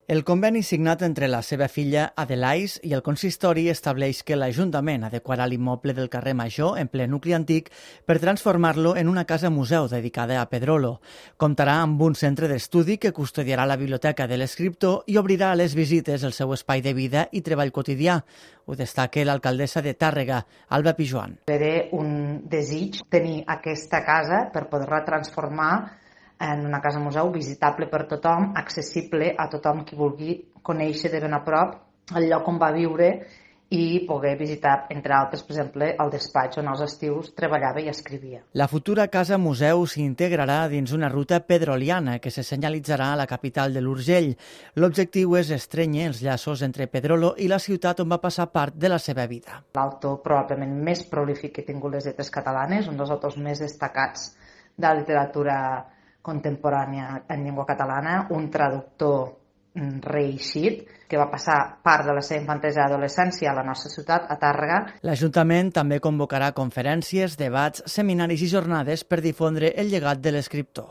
El conveni signat entre la seva filla Adelais i el consistori estableix que l'Ajuntament adequarà l'immoble del carrer Major, en ple nucli antic, per transformar-lo en una casa-museu dedicada a Pedrolo. Comptarà amb un centre d'estudi que custodiarà la biblioteca de l'escriptor i obrirà a les visites el seu espai de vida i treball quotidià. Ho destaca l'alcaldessa de Tàrrega, Alba Pijoan. Era un desig tenir aquesta casa per poder-la transformar en una casa museu visitable per tothom, accessible a tothom qui vulgui conèixer de ben a prop el lloc on va viure i poder visitar, entre altres, per exemple, el despatx on als estius treballava i escrivia. La futura casa museu s'integrarà dins una ruta pedroliana que se senyalitzarà a la capital de l'Urgell. L'objectiu és estrènyer els llaços entre Pedrolo i la ciutat on va passar part de la seva vida. L'autor probablement més prolífic que ha tingut les lletres catalanes, un dels autors més destacats de la literatura contemporània en llengua catalana, un traductor reeixit que va passar part de la seva infantesa i adolescència a la nostra ciutat, a Tàrrega. L'Ajuntament també convocarà conferències, debats, seminaris i jornades per difondre el llegat de l'escriptor.